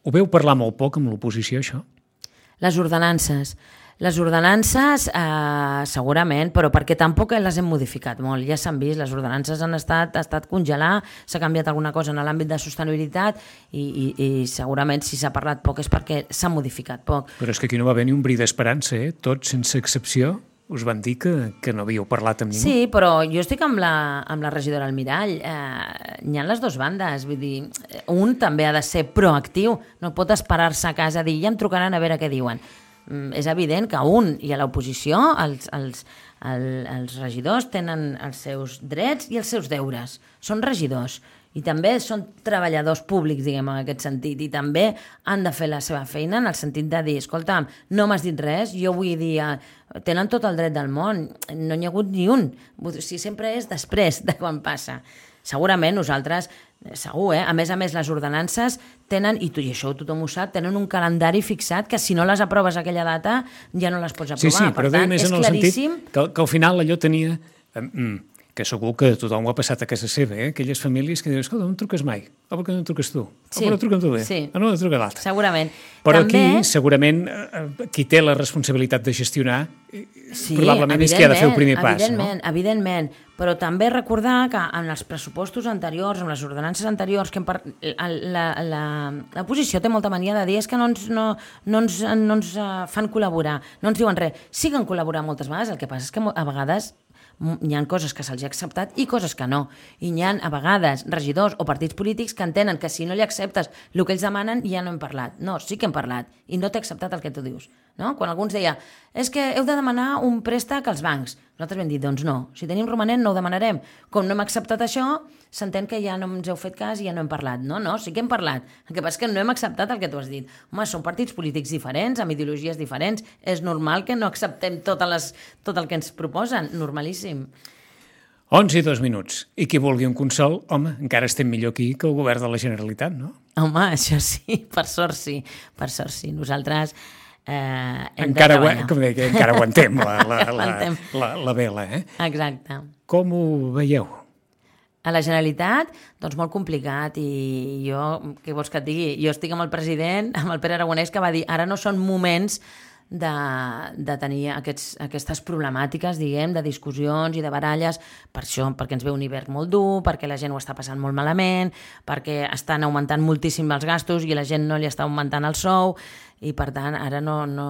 Ho veu parlar molt poc amb l'oposició, això? Les ordenances. Les ordenances, eh, segurament, però perquè tampoc les hem modificat molt. Ja s'han vist, les ordenances han estat, ha estat congelar, s'ha canviat alguna cosa en l'àmbit de sostenibilitat i, i, i segurament si s'ha parlat poc és perquè s'ha modificat poc. Però és que aquí no va haver ni un bri d'esperança, eh? Tots, sense excepció, us van dir que, que no havíeu parlat amb ningú. Sí, però jo estic amb la, amb la regidora Almirall. Eh, hi ha les dues bandes. Vull dir, un també ha de ser proactiu, no pot esperar-se a casa a dir ja em trucaran a veure què diuen. És evident que un i a l'oposició els, els, el, els regidors tenen els seus drets i els seus deures. Són regidors i també són treballadors públics, diguem, en aquest sentit, i també han de fer la seva feina en el sentit de dir, escolta'm, no m'has dit res, jo vull dir, tenen tot el dret del món, no n'hi ha hagut ni un. O sigui, sempre és després de quan passa. Segurament nosaltres, segur, eh? A més a més, les ordenances tenen, i, tu, i això tothom ho sap, tenen un calendari fixat que si no les aproves a aquella data ja no les pots aprovar. Sí, sí, per però tant, més és en el claríssim... sentit que, que al final allò tenia... Eh, que segur que tothom ho ha passat a casa seva, eh? Aquelles famílies que diuen, escolta, no em truques mai, o per què no em truques tu? O Sí, per què no truquen tu bé? sí. O no em truca l'altre? Segurament. Però també... aquí, segurament, eh, qui té la responsabilitat de gestionar, Sí, probablement és qui ha de fer el primer pas, evidentment, no? Evidentment, però també recordar que en els pressupostos anteriors, en les ordenances anteriors, que par... la, la, la posició té molta mania de dir és que no ens, no, no ens, no ens fan col·laborar, no ens diuen res. Sí que han col·laborat moltes vegades, el que passa és que a vegades hi ha coses que se'ls ha acceptat i coses que no. I hi ha, a vegades, regidors o partits polítics que entenen que si no li acceptes el que ells demanen ja no hem parlat. No, sí que hem parlat i no t'he acceptat el que tu dius. No? Quan algú ens deia, és que heu de demanar un préstec als bancs. Nosaltres vam dir, doncs no, si tenim romanent no ho demanarem. Com no hem acceptat això, s'entén que ja no ens heu fet cas i ja no hem parlat. No, no, sí que hem parlat. El que passa és que no hem acceptat el que tu has dit. Home, són partits polítics diferents, amb ideologies diferents. És normal que no acceptem totes les, tot el que ens proposen. Normalíssim. onze i dos minuts. I qui vulgui un consol, home, encara estem millor aquí que el govern de la Generalitat, no? Home, això sí, per sort sí. Per sort sí. Nosaltres eh, hem encara de treballar. Com deia, encara aguantem la, la, la, Aguantem. la, la vela, eh? Exacte. Com ho veieu? A la Generalitat, doncs molt complicat i jo, què vols que et digui? Jo estic amb el president, amb el Pere Aragonès, que va dir ara no són moments de, de tenir aquests, aquestes problemàtiques, diguem, de discussions i de baralles, per això, perquè ens ve un hivern molt dur, perquè la gent ho està passant molt malament, perquè estan augmentant moltíssim els gastos i la gent no li està augmentant el sou, i per tant ara no, no,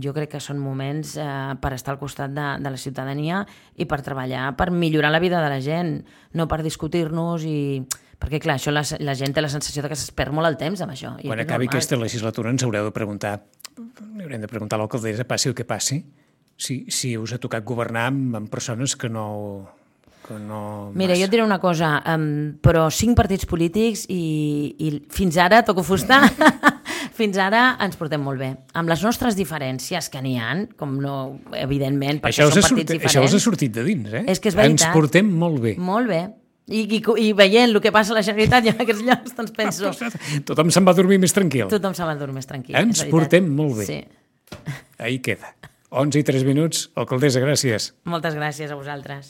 jo crec que són moments eh, per estar al costat de, de la ciutadania i per treballar, per millorar la vida de la gent, no per discutir-nos i... perquè clar, això la, la gent té la sensació de que es perd molt el temps amb això. I Quan acabi normal. Aquesta legislatura ens haureu de preguntar, li haurem de preguntar a l'alcaldessa, passi el que passi, si, si us ha tocat governar amb, amb persones que no... Que no Mira, massa. Jo et diré una cosa, um, però cinc partits polítics i, i fins ara, toco fusta, fins ara ens portem molt bé. Amb les nostres diferències que n'hi ha, com no, evidentment, perquè això són partits sortit, diferents. Això us ha sortit de dins, eh? És que és veritat. Ens portem molt bé. Molt bé. I, i, i veient el que passa a la Generalitat i en aquests llocs, doncs penso... Tothom se'n va dormir més tranquil. Tothom se'n va dormir més tranquil. Ens portem molt bé. Sí. Ahí queda. onze i tres minuts. Alcaldessa, gràcies. Moltes gràcies a vosaltres.